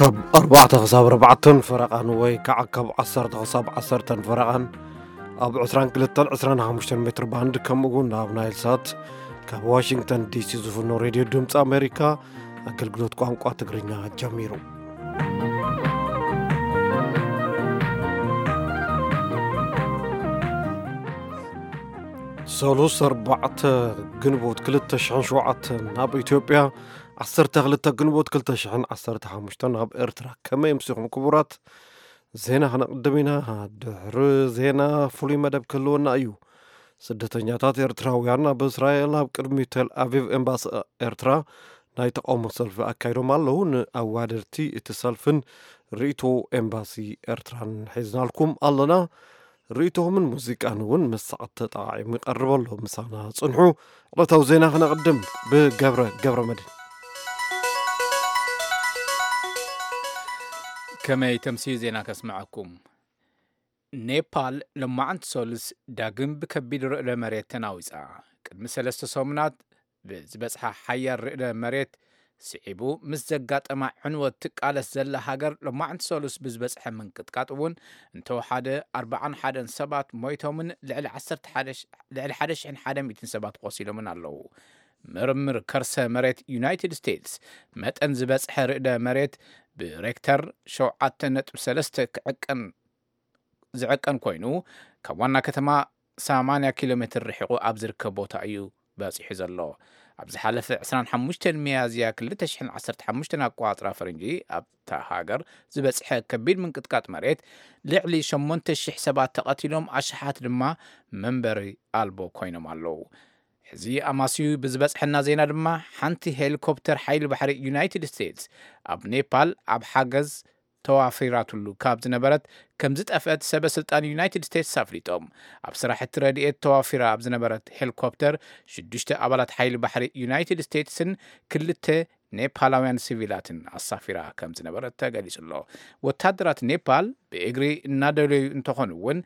ካብ ኣርባዕተ ክሳብ ኣርባዕተን ፈረቓን ወይ ከዓ ካብ ዓሰርተ ክሳብ ዓሰርተን ፈረቓን ኣብ ዕስራን ክልተን ዕስራን ሓሙሽተን ሜትር ባንድ፣ ከምኡ እውን ኣብ ናይል ሳት ካብ ዋሽንግተን ዲሲ ዝፍኖ ሬድዮ ድምፂ ኣሜሪካ ኣገልግሎት ቋንቋ ትግርኛ ጀሚሩ። ሰሉስ ኣርባዕተ ግንቦት ክልተ ሽሕን ሸውዓተን ኣብ ኢትዮጵያ፣ ዓሰርተ ክልተ ግንቦት ክልተ ሽሕን ዓሰርተ ሓሙሽተን ኣብ ኤርትራ። ከመይ ኣምሲኹም ክቡራት? ዜና ክነቕድም ኢና። ድሕሪ ዜና ፍሉይ መደብ ክህልወና እዩ። ስደተኛታት ኤርትራውያን ኣብ እስራኤል ኣብ ቅድሚ ቴል ኣቪቭ ኤምባሲ ኤርትራ ናይ ተቃውሞ ሰልፊ ኣካይዶም ኣለዉ። ንኣዋደድቲ እቲ ሰልፍን ርእይቶ ኤምባሲ ኤርትራን ሒዝናልኩም ኣለና። ርእይቶምን ሙዚቃን እውን ምስ ሰዓት ተጠቓዒሙ ይቐርብ ኣሎ። ምሳና ጽንሑ። ዕለታዊ ዜና ክነቕድም ብገብረ፣ ገብረ መድህን። ከመይ ተምስዩ ዜና ከስምዐኩም። ኔፓል ሎማዕንቲ ሰሉስ ዳግም ብከቢድ ርዕደ መሬት ተናዊጻ። ቅድሚ ሰለስተ ሰሙናት ብዝበጽሓ ሓያል ርዕደ መሬት ስዒቡ ምስ ዘጋጠማ ዕንወት ትቃለስ ዘላ ሃገር፣ ሎማዕንቲ ሰሉስ ብዝበጽሐ ምንቅጥቃጥ እውን እንተወሓደ ኣርባዓን ሓደን ሰባት ሞይቶምን ልዕሊ ዓሰርተ ሓደ ሽ-፣ ልዕሊ ሓደ ሽሕን ሓደ ሚእትን ሰባት ቆሲሎምን ኣለዉ። ምርምር ከርሰ መሬት ዩናይትድ ስቴትስ መጠን ዝበጽሐ ርዕደ መሬት ብሬክተር ሸውዓተ ነጥቢ ሰለስተ ክዕቀን ዝዕቀን ኮይኑ፣ ካብ ዋና ከተማ ሰማንያ ኪሎ ሜትር ርሒቑ ኣብ ዝርከብ ቦታ እዩ በጺሑ ዘሎ። ኣብ ዝሓለፈ ዕስራን ሓሙሽተን ሚያዝያ ክልተ ሽሕን ዓሰርተ ሓሙሽተን ኣቆጻጽራ ፈረንጂ፣ ኣብታ ሃገር ዝበጽሐ ከቢድ ምንቅጥቃጥ መሬት ልዕሊ ሸሞንተ ሽሕ ሰባት ተቐቲሎም፣ ኣሽሓት ድማ መንበሪ ኣልቦ ኮይኖም ኣለዉ። ሕዚ ኣማስዩ ብዝበጽሐና ዜና ድማ፣ ሓንቲ ሄሊኮፕተር ሓይሊ ባሕሪ ዩናይትድ ስቴትስ ኣብ ኔፓል ኣብ ሓገዝ ተዋፊራትሉ ካብ ዝነበረት ከም ዝጠፍአት ሰበ ስልጣን ዩናይትድ ስቴትስ ኣፍሊጦም። ኣብ ስራሕቲ ረድኤት ተዋፊራ ኣብ ዝነበረት ሄሊኮፕተር ሽዱሽተ ኣባላት ሓይሊ ባሕሪ ዩናይትድ ስቴትስን ክልተ ኔፓላውያን ሲቪላትን ኣሳፊራ ከም ዝነበረት ተገሊጹ ኣሎ። ወታደራት ኔፓል ብእግሪ እናደለዩ እንተኾኑ እውን፣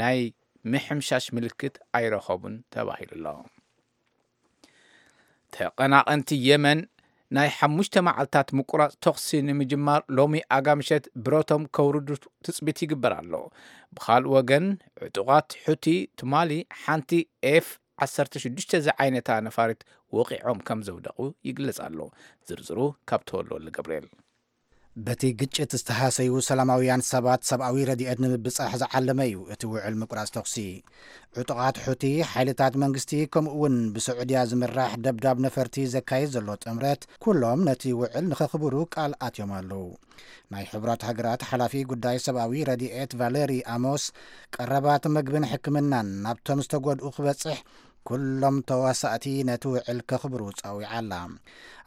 ናይ ምሕምሻሽ ምልክት ኣይረኸቡን ተባሂሉ ኣሎ። ተቐናቐንቲ የመን ናይ ሓሙሽተ መዓልታት ምቁራጽ ተኹሲ ንምጅማር ሎሚ ኣጋምሸት ብረቶም ከውርዱ ትጽቢት ይግበር ኣሎ። ብኻልእ ወገን፣ ዕጡቓት ሑቲ ትማሊ ሓንቲ ኤፍ ዓሰርተ ሽዱሽተ ዝዓይነታ ነፋሪት ወቒዖም ከም ዘውደቑ ይግለጽ ኣሎ። ዝርዝሩ ካብ ተወልደወልደ ገብርኤል። በቲ ግጭት ዝተሃሰዩ ሰላማውያን ሰባት ሰብኣዊ ረድኤት ንምብጻሕ ዝዓለመ እዩ እቲ ውዕል ምቁራጽ ተኹሲ። ዕጡቓት ሑቲ፣ ሓይልታት መንግስቲ፣ ከምኡ እውን ብስዑድያ ዝምራሕ ደብዳብ ነፈርቲ ዘካይድ ዘሎ ጥምረት፣ ኩሎም ነቲ ውዕል ንኸኽብሩ ቃል ኣትዮም ኣለዉ። ናይ ሕቡራት ሃገራት ሓላፊ ጉዳይ ሰብኣዊ ረድኤት ቫለሪ ኣሞስ፣ ቀረባት መግብን ሕክምናን ናብቶም ዝተጎድኡ ክበጽሕ፣ ኩሎም ተዋሳእቲ ነቲ ውዕል ከኽብሩ ጸዊዓ ኣላ።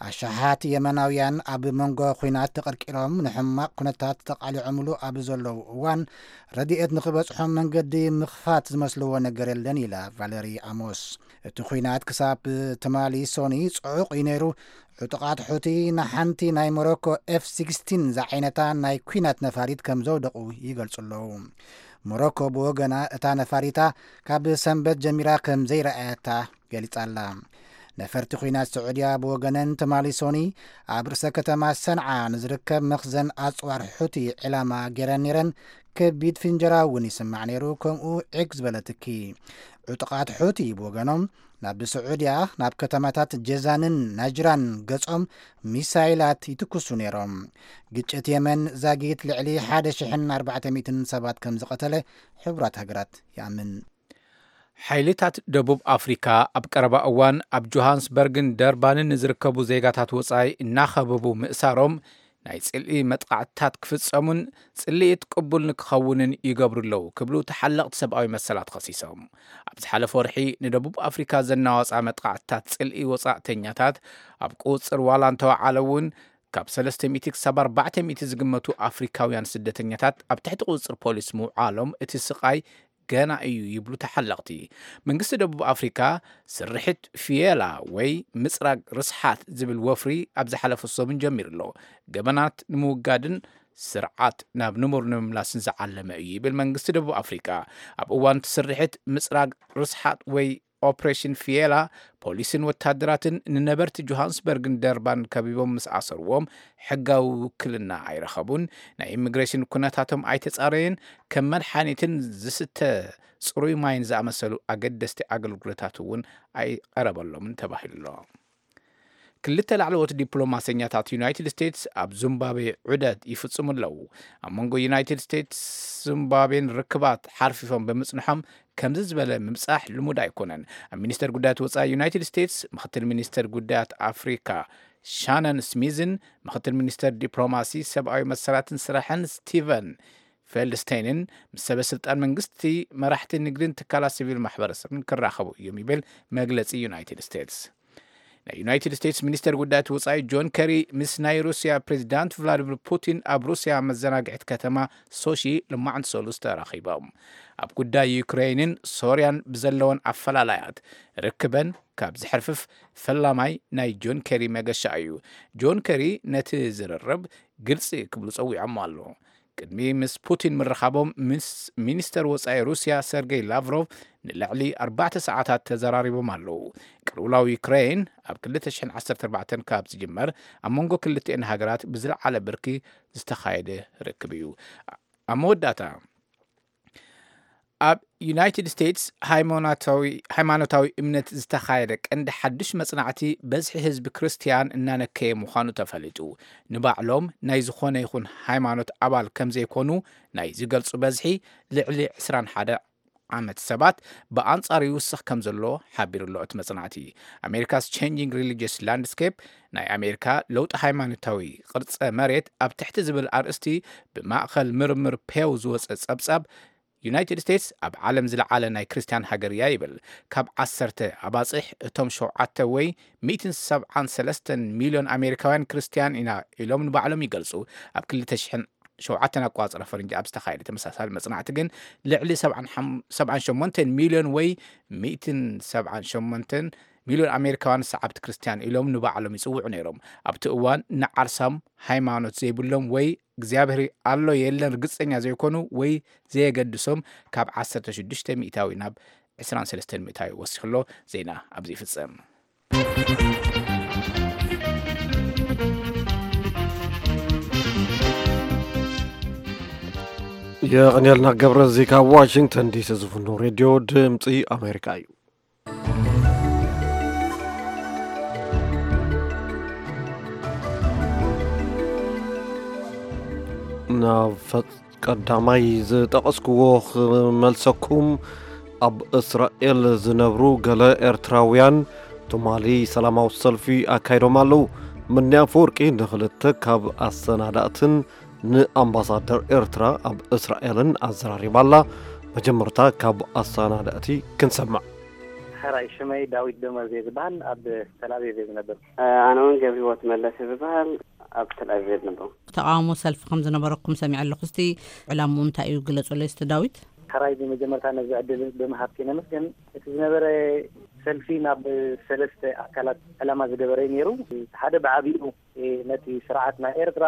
ኣሽሓት የመናውያን ኣብ መንጎ ኲናት ተቐርቂሮም ንሕማቕ ኩነታት ተቓሊዖምሉ ኣብ ዘለዉ እዋን፣ ረድኤት ንኽበጽሖም መንገዲ ምኽፋት ዝመስልዎ ነገር የለን ኢላ ቫለሪ ኣሞስ። እቲ ኲናት ክሳብ ትማሊ ሶኒ ጽዑቕ እዩ ነይሩ። ዕጡቓት ሑቲ ንሓንቲ ናይ ሞሮኮ ኤፍ ሲክስቲን ዝዓይነታ ናይ ኲናት ነፋሪት ከም ዘውደቑ ይገልጹ ኣለዉ። ሞሮኮ ብወገና፣ እታ ነፋሪታ ካብ ሰንበት ጀሚራ ከም ዘይረኣየታ ገሊጻ ኣላ። ነፈርቲ ኲናት ስዑድያ ብወገነን፣ ትማሊ ሶኒ ኣብ ርእሰ ከተማ ሰንዓ ንዝርከብ መኽዘን ኣጽዋር ሑቲ ዕላማ ገይረን ነይረን። ከቢድ ፍንጀራ እውን ይስማዕ ነይሩ፣ ከምኡ ዒግ ዝበለ ትኪ። ዕጡቓት ሑቲ ብወገኖም፣ ናብ ስዑድያ፣ ናብ ከተማታት ጀዛንን ናጅራን ገጾም ሚሳይላት ይትኩሱ ነይሮም። ግጭት የመን ዛጊት ልዕሊ ሓደ ሽሕን ኣርባዕተ ሚእትን ሰባት ከም ዝቐተለ ሕቡራት ሃገራት ይኣምን። ሓይልታት ደቡብ ኣፍሪካ ኣብ ቀረባ እዋን ኣብ ጆሃንስበርግን ደርባንን ንዝርከቡ ዜጋታት ወጻኢ እናኸበቡ ምእሳሮም፣ ናይ ጽልኢ መጥቃዕትታት ክፍጸሙን ጽልኢት ቅቡል ንክኸውንን ይገብሩ ኣለዉ ክብሉ ተሓለቕቲ ሰብኣዊ መሰላት ከሲሶም። ኣብ ዝሓለፈ ወርሒ ንደቡብ ኣፍሪካ ዘናዋጽኣ መጥቃዕትታት ጽልኢ ወጻእተኛታት ኣብ ቁጽር ዋላ እንተወዓለ እውን፣ ካብ ሰለስተ ሚእቲ ክሳብ ኣርባዕተ ሚእቲ ዝግመቱ ኣፍሪካውያን ስደተኛታት ኣብ ትሕቲ ቁጽር ፖሊስ ምውዓሎም፣ እቲ ስቓይ ገና እዩ ይብሉ ተሓለቕቲ። መንግስቲ ደቡብ ኣፍሪካ፣ ስርሒት ፊየላ ወይ ምጽራግ ርስሓት ዝብል ወፍሪ ኣብ ዝሓለፈ ሰሙን ጀሚሩ ኣሎ። ገበናት ንምውጋድን ስርዓት ናብ ንቡር ንምምላስን ዝዓለመ እዩ ይብል መንግስቲ ደቡብ ኣፍሪካ። ኣብ እዋን እቲ ስርሒት፣ ምጽራግ ርስሓት ወይ ኦፕሬሽን ፊየላ፣ ፖሊስን ወታደራትን ንነበርቲ ጆሃንስበርግን ደርባን ከቢቦም ምስ ኣሰርዎም፣ ሕጋዊ ውክልና ኣይረኸቡን። ናይ ኢሚግሬሽን ኩነታቶም ኣይተጻረየን። ከም መድሓኒትን ዝስተ ጽሩይ ማይን ዝኣመሰሉ ኣገደስቲ ኣገልግሎታት እውን ኣይቐረበሎምን ተባሂሉ ኣሎ። ክልተ ላዕለዎት ዲፕሎማሰኛታት ዩናይትድ ስቴትስ ኣብ ዙምባብዌ ዑደት ይፍጽሙ ኣለዉ። ኣብ መንጎ ዩናይትድ ስቴትስ ዙምባብዌን ርክባት ሓርፊፎም ብምጽንሖም፣ ከምዚ ዝበለ ምብጻሕ ልሙድ ኣይኮነን። ኣብ ሚኒስተር ጉዳያት ወጻኢ ዩናይትድ ስቴትስ፣ ምኽትል ሚኒስተር ጉዳያት ኣፍሪካ ሻነን ስሚዝን፣ ምኽትል ሚኒስተር ዲፕሎማሲ፣ ሰብኣዊ መሰላትን ስራሕን ስቲቨን ፌልድስቴይንን ምስ ሰበ ስልጣን መንግስቲ፣ መራሕቲ ንግድን ትካላት ሲቪል ማሕበረሰብን ክራኸቡ እዮም ይብል መግለጺ ዩናይትድ ስቴትስ። ናይ ዩናይትድ ስቴትስ ሚኒስተር ጉዳያት ወጻኢ ጆን ከሪ ምስ ናይ ሩስያ ፕሬዚዳንት ቭላዲሚር ፑቲን ኣብ ሩስያ መዘናግዒት ከተማ ሶሺ ልማዕንቲ ሰሉስ ተራኺቦም። ኣብ ጉዳይ ዩክሬይንን ሶርያን ብዘለወን ኣፈላላያት ርክበን ካብ ዝሕርፍፍ ፈላማይ ናይ ጆን ከሪ መገሻ እዩ። ጆን ከሪ ነቲ ዝርርብ ግልጺ ክብሉ ጸዊዖሞ ኣለዉ። ቅድሚ ምስ ፑቲን ምርኻቦም፣ ምስ ሚኒስተር ወጻኢ ሩስያ ሰርጌይ ላቭሮቭ ንልዕሊ ኣርባዕተ ሰዓታት ተዘራሪቦም ኣለዉ። ቅልውላው ዩክሬን ኣብ ክልተ ሽሕን ዓሰርተ ኣርባዕተን ካብ ዝጅመር፣ ኣብ መንጎ ክልቲኤን ሃገራት ብዝለዓለ ብርኪ ዝተኻየደ ርክብ እዩ። ኣብ መወዳእታ፣ ኣብ ዩናይትድ ስቴትስ ሃይማኖታዊ፣ ሃይማኖታዊ እምነት ዝተኻየደ ቀንዲ ሓድሽ መጽናዕቲ፣ በዝሒ ህዝቢ ክርስትያን እናነከየ ምዃኑ ተፈሊጡ። ንባዕሎም ናይ ዝኾነ ይኹን ሃይማኖት ኣባል ከም ዘይኮኑ ናይ ዝገልጹ በዝሒ፣ ልዕሊ ዕስራን ሓደ ዓመት ሰባት፣ ብኣንጻሩ ይውስኽ ከም ዘሎ ሓቢሩ ኣሎ እቲ መጽናዕቲ። ኣሜሪካስ ቼንጂንግ ሪሊጅስ ላንድስኬፕ፣ ናይ ኣሜሪካ ለውጢ ሃይማኖታዊ ቅርጸ መሬት ኣብ ትሕቲ ዝብል ኣርእስቲ ብማእከል ምርምር ፔው ዝወጸ ጸብጻብ፣ ዩናይትድ ስቴትስ ኣብ ዓለም ዝለዓለ ናይ ክርስትያን ሃገር እያ ይብል። ካብ ዓሰርተ ኣባጽሕ፣ እቶም ሸውዓተ ወይ ሚእትን ሰብዓን ሰለስተን ሚልዮን ኣሜሪካውያን ክርስትያን ኢና ኢሎም ንባዕሎም ይገልጹ። ኣብ ክልተ ሽሕን ሸውዓተን ኣቋጽራ ፈረንጂ ኣብ ዝተኻየደ ተመሳሳሊ መጽናዕቲ ግን፣ ልዕሊ ሰብዓን ሸሞንተን ሚልዮን ወይ ሚእትን ሰብዓን ሸሞንተን ሚልዮን ኣሜሪካውያን ሰዓብቲ ክርስትያን ኢሎም ንባዕሎም ይጽውዑ ነይሮም። ኣብቲ እዋን ንዓርሳም ሃይማኖት ዘይብሎም ወይ እግዚኣብሔር ኣሎ የለን ርግጸኛ ዘይኮኑ ወይ ዘየገድሶም ካብ ዓሰርተ ሽዱሽተ ሚእታዊ ናብ ዕስራን ሰለስተን ሚእታዊ ወሲኹ ኣሎ። ዜና ኣብዚ ይፍጸም። የቐንየልና ገብረ፣ እዚ ካብ ዋሽንግተን ዲሲ ዝፍኖ ሬድዮ ድምፂ ኣሜሪካ እዩ። ናብ ፈ-፣ ቀዳማይ ዝጠቐስክዎ ክመልሰኩም፣ ኣብ እስራኤል ዝነብሩ ገለ ኤርትራውያን ትማሊ ሰላማዊ ሰልፊ ኣካይዶም ኣለዉ። ምንያ ኣፈወርቂ ንኽልተ ካብ ኣሰናዳእትን ንኣምባሳደር ኤርትራ ኣብ እስራኤልን ኣዘራሪባ ኣላ። መጀመርታ ካብ ኣሰናዳእቲ ክንሰምዕ። ሕራይ፣ ሽመይ ዳዊት ደመዝ እየ ዝበሃል። ኣብ ተል ኣቪቭ እየ ዝነብር። ኣነ እውን ገብረ ህይወት መለስ እየ ዝበሃል። ኣብ ተል ኣቪቭ እየ ዝነብር። ተቓውሞ ሰልፊ ከም ዝነበረኩም ሰሚዐ ኣለኹ። እስቲ ዕላምኡ እንታይ እዩ? ግለጹለይ እስቲ ዳዊት። ሕራይ፣ ብመጀመርታ ነዚ ዕድል ብምሃብኪ ነመስግን። እቲ ዝነበረ ሰልፊ ናብ ሰለስተ ኣካላት ዕላማ ዝገበረ እዩ ነይሩ። እቲ ሓደ ብዓቢኡ ነቲ ስርዓት ናይ ኤርትራ፣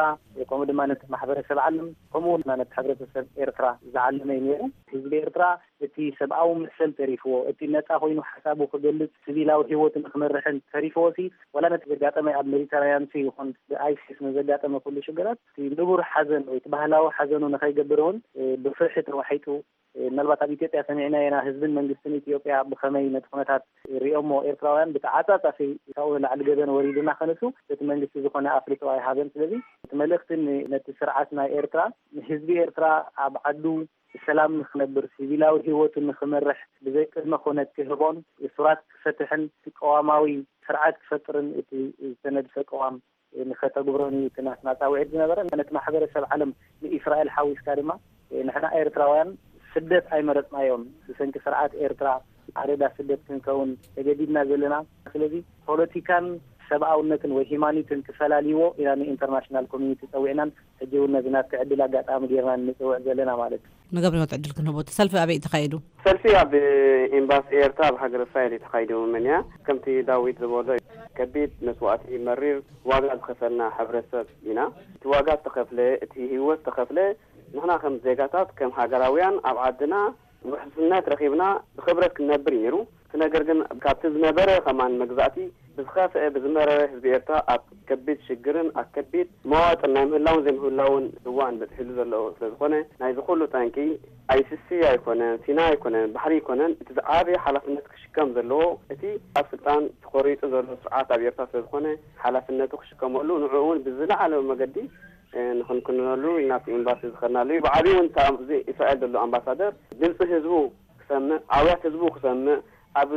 ከምኡ ድማ ነቲ ማሕበረሰብ ዓለም፣ ከምኡ እውን ነቲ ሕብረተሰብ ኤርትራ ዝዓለመ እዩ ነይሩ። ህዝቢ ኤርትራ እቲ ሰብኣዊ መሰል ተሪፍዎ፣ እቲ ነጻ ኮይኑ ሓሳቡ ክገልጽ፣ ሲቪላዊ ህይወቱ ንክመርሕን ተሪፍዎ ሲ፣ ዋላ ነቲ ዘጋጠመ ኣብ ሜዲተራንያን ሲ ይኹን ብኣይሲስ ንዘጋጠመ ኩሉ ሽግራት፣ እቲ ንቡር ሓዘን ወይ እቲ ባህላዊ ሓዘኑ ንኸይገብር እውን፣ እ፣ ብፍርሒ ተዋሒጡ፣ እ፣ ምናልባት ኣብ ኢትዮጵያ ሰሚዕናዮ ኢና፣ ህዝብን መንግስትን ኢትዮጵያ ብኸመይ ነቲ ኩነታት ሪኦሞ፣ ኤርትራውያን ብተዓጻጻፊ ካብኡ ንላዕሊ ገበን ወሪዱና ከነሱ፣ እቲ መንግስቲ ዝኾነ ኣፍልጦ ኣይሃበን። ስለዚ እቲ መልእኽቲ ን-፣ ነቲ ስርዓት ናይ ኤርትራ፣ ንህዝቢ ኤርትራ ኣብ ዓዱ ብሰላም ንኽነብር፣ ሲቪላዊ ህይወቱ ንኽመርሕ፣ ብዘይ ቅድመ ኩነት ክህቦን፣ እሱራት ክፈትሕን፣ እቲ ቅዋማዊ ስርዓት ክፈጥርን፣ እቲ ዝተነድፈ ቅዋም ንኸተግብሮን እዩ እቲ ናትና ጻውዒት ዝነበረ። ነቲ ማሕበረሰብ ዓለም ንእስራኤል ሓዊስካ ድማ፣ ንሕና ኤርትራውያን ስደት ኣይመረጽናዮን። ብሰንኪ ስርዓት ኤርትራ ኣደዳ ስደት ክንከውን ተገዲድና ዘለና። ስለዚ ፖለቲካን ሰብኣውነትን ወይ ሂማኒትን ክፈላልይዎ ኢና ንኢንተርናሽናል ኮሚኒቲ ጸዊዕናን ሕጂ እውን ነዚ ናትኪ ዕድል ኣጋጣሚ ጌርና ንጽውዕ ዘለና ማለት እዩ። ንገብረ ህይወት ዕድል ክንህቦ። እቲ ሰልፊ ኣበይ እዩ ተኻይዱ? ሰልፊ ኣብ ኤምባሲ ኤርትራ ኣብ ሃገር እስራኤል እዩ ተኻይዱ። ምንያ ከምቲ ዳዊት ዝበሎ ከቢድ መስዋእቲ፣ መሪር ዋጋ ዝኸፈልና ሕብረተሰብ ኢና። እቲ ዋጋ ዝተኸፍለ፣ እቲ ህይወት ዝተኸፍለ፣ ንሕና ከም ዜጋታት፣ ከም ሃገራውያን ኣብ ዓድና ውሕስነት ረኺብና ብኽብረት ክንነብር እዩ ነይሩ። እቲ ነገር ግን ካብቲ ዝነበረ ከማን መግዛእቲ ብዝኸፍአ ብዝመረረ ህዝቢ ኤርትራ ኣብ ከቢድ ሽግርን ኣብ ከቢድ መዋጥን ናይ ምህላውን ዘይምህላውን እዋን በጽሒሉ ዘሎ ስለ ዝኾነ ናይዚ ኩሉ ጠንቂ ኣይሲሲ ኣይኮነን፣ ሲና ኣይኮነን፣ ባሕሪ ኣይኮነን። እቲ ዝዓበየ ሓላፍነት ክሽከም ዘለዎ እቲ ኣብ ስልጣን ተኾሪጹ ዘሎ ስርዓት ኣብ ኤርትራ ስለ ዝኾነ ሓላፍነቱ ክሽከመሉ ንዕኡ እውን ብዝለዓለ መገዲ ንኽንክንነሉ ኢልና ኣብቲ ኤምባሲ ዝኸድናሉ እዩ። ብዓብዩ እውን ኣብዚ እስራኤል ዘሎ ኣምባሳደር ድምፂ ህዝቡ ክሰምዕ፣ ኣውያት ህዝቡ ክሰምዕ፣ ኣብ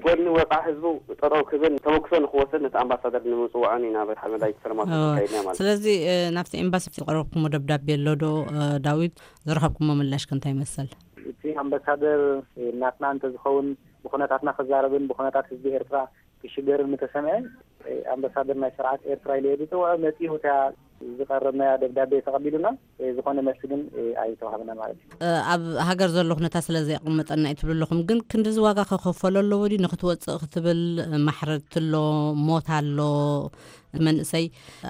ጎድኒ ወፅዓ ህዝቡ ጠጠው ክብል ተመክሶ ንክወስድ ነቲ ኣምባሳደር ንምፅዋዕን ኢና በቲ ሓመዳይ ሰለማት እወ። ተካይድና ማለት እዩ። ስለዚ እ፣ ናብቲ ኤምባሲ ዝቀረብኩሞ ደብዳቤ ኣሎ ዶ እ፣ ዳዊት? ዝረኸብኩሞ ምላሽ ከ እንታይ ይመስል? እቲ ኣምባሳደር እ፣ ናትና እንተዝኸውን ብኩነታትና ክዛረብን ብኩነታት ህዝቢ ኤርትራ ክሽገርን ምተሰምዐ እ፣ ኣምባሳደር ናይ ስርዓት ኤርትራ ኢለ ዝፅውዖ መፂኡ እታ ዝቐረብናያ ደብዳቤ ተቐቢሉና እ፣ ዝኾነ መልሲ ግን እ፣ ኣይተዋህበና ማለት እዩ። ኣብ ሃገር ዘሎ ኩነታት ስለ ዘየቕመጠና እዩ ትብሉ ኣለኹም፣ ግን ክንድዚ ዋጋ ከኸፈሎ ኣለዎ ድዩ ንክትወፅእ ክትብል? ማሕረድቲ ኣሎ፣ ሞት ኣሎ። መንእሰይ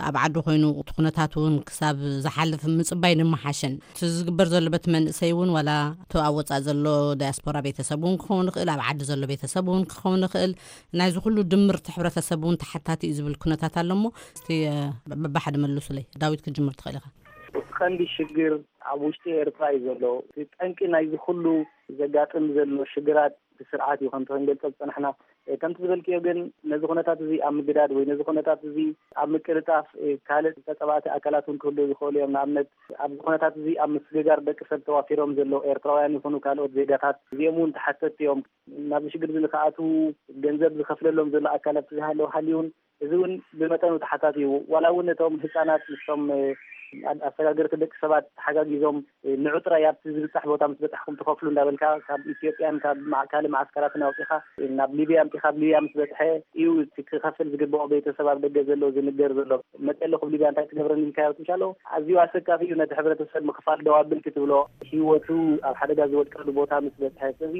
ኣብ ዓዱ ኮይኑ እቲ ኩነታት እውን ክሳብ ዝሓልፍ ምፅባይ ንምሓሸን እቲ ዝግበር ዘሎ በቲ መንእሰይ እውን ዋላ እቲ ኣብ ወፃእ ዘሎ ዳያስፖራ ቤተሰብ እውን ክኸውን ይኽእል፣ ኣብ ዓዲ ዘሎ ቤተሰብ እውን ክኸውን ይኽእል። ናይዚ ኩሉ ድምርቲ ሕብረተሰብ እውን ተሓታቲ እዩ ዝብል ኩነታት ኣሎ እሞ እስቲ በብሓደ መልሱለይ። ዳዊት ክጅምር ትኽእል ኢኻ። እቲ ቀንዲ ሽግር ኣብ ውሽጢ ኤርትራ እዩ ዘሎ። እቲ ጠንቂ ናይዚ ኩሉ ዘጋጥም ዘሎ ሽግራት እቲ ስርዓት እዩ። ከምቲ ክንገልጾ ዝጸናሕና ከምቲ ዝበልክዮ ግን ነዚ ኩነታት እዚ ኣብ ምግዳድ ወይ ነዚ ኩነታት እዚ ኣብ ምቅልጣፍ ካልእ ተጸባእቲ ኣካላት እውን ክህልዉ ዝኽእሉ እዮም። ንኣብነት ኣብዚ ኩነታት እዚ ኣብ ምስግጋር ደቂ ሰብ ተዋፊሮም ዘለዉ ኤርትራውያን ይኹኑ ካልኦት ዜጋታት እዚኦም እውን ተሓተትቲ እዮም። ናብዚ ሽግር እዚ ንክኣትዉ ገንዘብ ዝኸፍለሎም ዘሎ ኣካላት ዝሃለዉ ሃልዩን እዚ እውን ብመጠኑ ተሓታቲ እዩ። ዋላ እውን እቶም ህፃናት ምስቶም ኣሰጋገርቲ ደቂ ሰባት ተሓጋጊዞም ንዑ ጥራይ ኣብቲ ዝብፃሕ ቦታ ምስ በፃሕኩም ትኸፍሉ እንዳበልካ ካብ ኢትዮጵያን ካብ ካልእ መዓስከራትን ኣውፂኻ ናብ ሊብያ ኣምፂኻ ኣብ ሊብያ ምስ በፅሐ እዩ እቲ ክኸፍል ዝግበኦ ቤተሰብ ኣብ ደገ ዘሎ ዝንገር ዘሎ። መፀ ኣለኹ ኣብ ሊብያ እንታይ ትገብረኒ ኢልካዮ ትምሻሎ ኣዝዩ ኣሰካፊ እዩ። ነቲ ሕብረተሰብ ምኽፋል ደው ኣብል ክትብሎ ህይወቱ ኣብ ሓደጋ ዝወድቀሉ ቦታ ምስ በፅሐ ስለዚ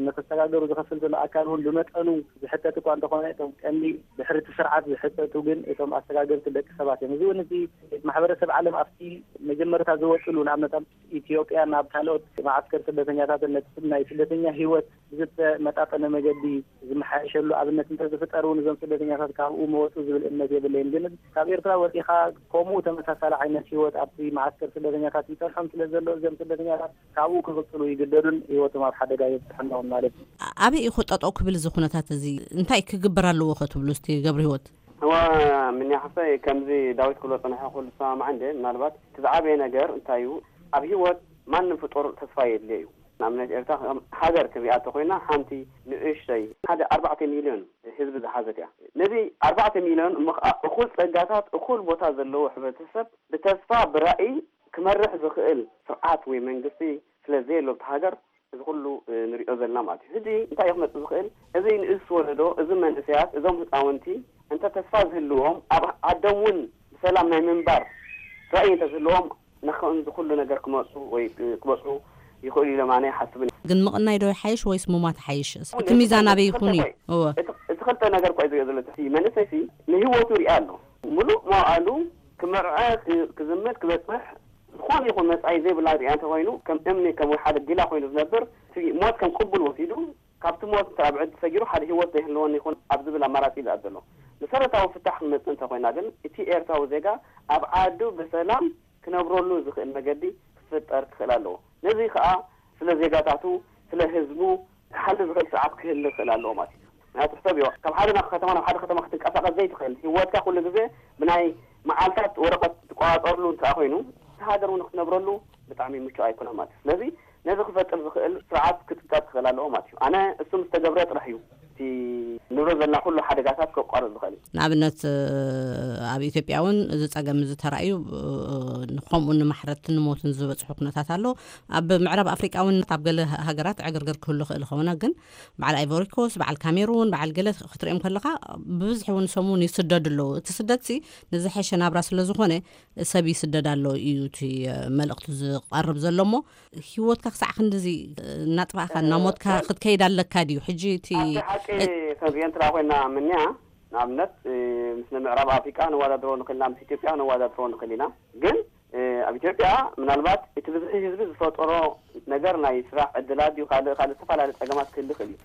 ንክሰጋገሩ ዝኸፍል ዘሎ ኣካል እውን ብመጠኑ ዝሕተት እኳ እንተኾነ እቶም ቀንዲ ድሕሪ እቲ ስርዓት ዝሕተቱ ግን እቶም ኣሰጋገርቲ ደቂ ሰባት እዮም። እዚ እውን እቲ ማሕበረሰብ ዓለም ኣብቲ መጀመርታ ዝወፅሉ ንኣብነት ኣብ ኢትዮጵያ ናብ ካልኦት መዓስከር ስደተኛታትን ነቲ ናይ ስደተኛ ህይወት ብዝተመጣጠነ መገዲ ዝመሓየሸሉ ኣብነት እንተዝፍጠር እውን እዞም ስደተኛታት ካብኡ መወፁ ዝብል እምነት የብለይን። ግን ካብ ኤርትራ ወፂኻ ከምኡ ተመሳሳሊ ዓይነት ህይወት ኣብቲ መዓስከር ስደተኛታት ይፀንሖም ስለ ዘሎ እዞም ስደተኛታት ካብኡ ክቕፅሉ ይግደዱን ህይወቶም ኣብ ሓደጋ የብፅሐናውን ማለት እዩ። ኣበይ እዩ ጠጠው ክብል እዚ ኩነታት እዚ? እንታይ ክግበር ኣለዎ ከ ትብሉ እስቲ ገብረ ህይወት? እዋ ምንያ ሓፍተይ ከምዚ ዳዊት ክብሎ ፀንሐ ኩሉ ዝሰማማዕ እንደ ምናልባት እቲ ዝዓበየ ነገር እንታይ እዩ ኣብ ህይወት ማንም ፍጡር ተስፋ የድልዮ እዩ። ንኣብነት ኤርትራ ከም ሃገር ክሪኣ እንተኮይና ሓንቲ ንእሽተይ ሓደ ኣርባዕተ ሚልዮን ህዝቢ ዝሓዘት እያ። ነዚ ኣርባዕተ ሚልዮን እሞ ከዓ እኩል ፀጋታት እኩል ቦታ ዘለዎ ሕብረተሰብ ብተስፋ ብራእይ ክመርሕ ዝኽእል ስርዓት ወይ መንግስቲ ስለ ዘየሎ ኣብቲ ሃገር እዚ ኩሉ ንሪኦ ዘለና ማለት እዩ። ሕጂ እንታይ እዩ ክመፅእ ዝኽእል? እዚ ንእስ ወለዶ፣ እዚ መንእሰያት፣ እዞም ህፃውንቲ እንተ ተስፋ ዝህልዎም ኣብ ዓዶም እውን ብሰላም ናይ ምንባር ራእይ እንተ ዝህልዎም ንክንዚ ኩሉ ነገር ክመፁ ወይ ክበፅሑ ይኽእሉ ኢሎም ኣነ ይሓስብን። ግን ምቕናይ ዶ ይሓይሽ ወይስ ምሟት ይሓይሽ? እቲ ሚዛን ኣበይ ይኹን እዩ? እወ። እቲ ክልተ ነገር እኳ እዩ ዝሪኦ ዘሎ እቲ መንእሰይ ሲ ንህይወቱ ይሪኣ ኣሎ። ሙሉእ መዋእሉ ክመርዐ ክዝምት ክበፅሕ ዝኾነ ይኹን መጻኢ ዘይብላ ሪኣ እንተኮይኑ ከም እምኒ ከም ወይ ሓደ ጊላ ኮይኑ ዝነብር እቲ ሞት ከም ቅቡል ወሲዱ ካብቲ ሞት እንተ ኣብ ዕድ ተሰጊሩ ሓደ ህይወት ዘይህልወኒ ይኹን ኣብ ዝብል ኣማራጺ እዩ ዝኣ ዘሎ። መሰረታዊ ፍታሕ ክንመጽእ እንተኮይና ግን እቲ ኤርትራዊ ዜጋ ኣብ ዓዱ ብሰላም ክነብረሉ ዝኽእል መገዲ ክፍጠር ክኽእል ኣለዎ። ነዚ ከኣ ስለ ዜጋታቱ ስለ ህዝቡ ክሓሊ ዝኽእል ስርዓት ክህሊ ክኽእል ኣለዎ ማለት እዩ። ምክንያቱ ሕሰብዮ ካብ ሓደ ናብ ከተማ ናብ ሓደ ከተማ ክትንቀሳቐስ ዘይትኽእል ህይወትካ ኩሉ ግዜ ብናይ መዓልታት ወረቐት ትቆጻጸርሉ እንተ ኮይኑ እቲ ሃገር እውን ክትነብረሉ ብጣዕሚ ምቹእ ኣይኮነን ማለት እዩ። ስለዚ ነዚ ክፈጥር ዝኽእል ስርዓት ክትፍጠር ክኽእል ኣለዎ ማለት እዩ። ኣነ እሱ ምስ ተገብረ ጥራሕ እዩ እቲ ንብረት ዘለና ኩሉ ሓደጋታት ከቋርጥ ዝኽእል እዩ። ንኣብነት ኣብ ኢትዮጵያ እውን እዚ ፀገም እዚ ተራእዩ ከምኡ ንማሕረድትን ንሞትን ዝበፅሑ ኩነታት ኣሎ። ኣብ ምዕራብ ኣፍሪቃ እውን ኣብ ገለ ሃገራት ዕግርግር ክህሉ ክእል ኸውና ግን በዓል ኣይቮሪኮስ በዓል ካሜሩን በዓል ገለ ክትሪኦም ከለኻ ብብዝሒ እውን ሰሙን ይስደዱ ኣለዉ። እቲ ስደት ሲ ንዝሐሸ ናብራ ስለ ዝኾነ ሰብ ይስደድ ኣሎ እዩ እቲ መልእኽቱ ዝቐርብ ዘሎ እሞ ህይወትካ ክሳዕ ክንድዚ እናጥፋእካ እናሞትካ ክትከይድ ኣለካ ድዩ ሕጂ እቲ ኣብቲ ሓቂ ከምዚአን ትረኣ ኮይና ምንያ ንኣብነት ምስ ምዕራብ ኣፍሪቃ ነዋዳድሮ ንኽእል ኢና ምስ ኢትዮጵያ ነዋዳድሮ ንኽእል ኢና ግን ኣብ ኢትዮጵያ ምናልባት እቲ ብዝሒ ህዝቢ ዝፈጠሮ ነገር ናይ ስራሕ ዕድላት ድዩ ካልእ ካልእ ዝተፈላለዩ ፀገማት ክህሊ ይኽእል እዩ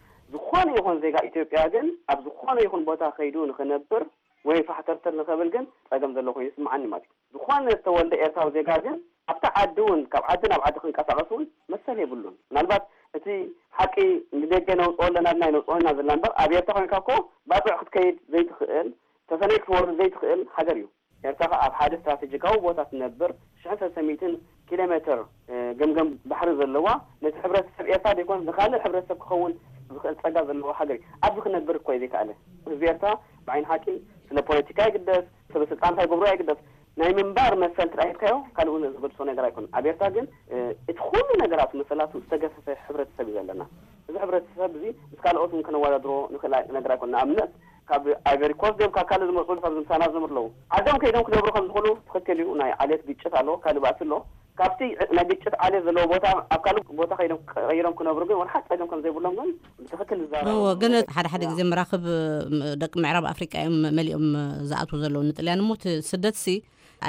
ዝኾነ ይኹን ዜጋ ኢትዮጵያ ግን ኣብ ዝኾነ ይኹን ቦታ ከይዱ ንኽነብር ወይ ፋሕተርተር ንኸብል ግን ጸገም ዘሎ ኮይኑ ይስምዓኒ ማለት እዩ። ዝኾነ ዝተወልደ ኤርትራዊ ዜጋ ግን ኣብቲ ዓዲ እውን ካብ ዓዲ ናብ ዓዲ ክንቀሳቐስ እውን መሰል የብሉን። ምናልባት እቲ ሓቂ ንደገ ነውፅኦ ኣለና ድና ይነውፅኦ ኢና ዘለና እምበር ኣብ ኤርትራ ኮይንካ እኮ ባፅዕ ክትከይድ ዘይትኽእል፣ ተፈነይ ክትወርድ ዘይትኽእል ሃገር እዩ። ኤርትራ ከኣ ኣብ ሓደ ስትራቴጂካዊ ቦታ ትነብር ሽሕን ሰለስተ ሚእትን ኪሎ ሜትር ገምገም ባሕሪ ዘለዋ ነቲ ሕብረተሰብ ኤርትራ ዘይኮነስ ንኻልእ ሕብረተሰብ ክኸውን ዝኽእል ጸጋ ዘለዎ ሃገር እዩ። ኣብዚ ክነብር እኮ እዩ ዘይከኣለ። ህዝቢ ኤርትራ ብዓይኒ ሓቂ ስለ ፖለቲካ ይግደስ፣ ስለ ስልጣንካ ይገብሮ ይግደስ፣ ናይ ምንባር መሰል ትራይ ሂብካዮ ካልእ እውን ዝገድሶ ነገር ኣይኮነን። ኣብ ኤርትራ ግን እቲ ኩሉ ነገራቱ መሰላቱ ዝተገፈፈ ሕብረተሰብ እዩ ዘለና። እዚ ሕብረተሰብ እዚ ምስ ካልኦት እውን ከነወዳድሮ ንኽእል ነገር ኣይኮነን። ንኣብነት ካብ ኣይቨሪ ኮስት ድዮም ካብ ካልእ ዝመፁ ካብ ዝምሳና ዝምር ኣለዉ ዓዶም ከይዶም ክነብሩ ከም ዝኽእሉ ትኽክል እዩ። ናይ ዓሌት ግጭት ኣሎ፣ ካልእ ባእሲ ኣሎ። ካብቲ ናይ ግጭት ዓሌት ዘለዎ ቦታ ኣብ ካልእ ቦታ ከይዶም ቀይሮም ክነብሩ ግን ወላ ሓንቲ ፀገም ከም ዘይብሎም ግን ብትኽክል ዝዛረቡ እዎ፣ ግን ነገራት ሓደ ሓደ እዮም። ግዜ መራኽብ ም- ደቂ ምዕራብ ኣፍሪቃ እዮም መሊኦም ዝኣትዉ ዘለዉ ንጥልያን እሞ እቲ ስደትሲ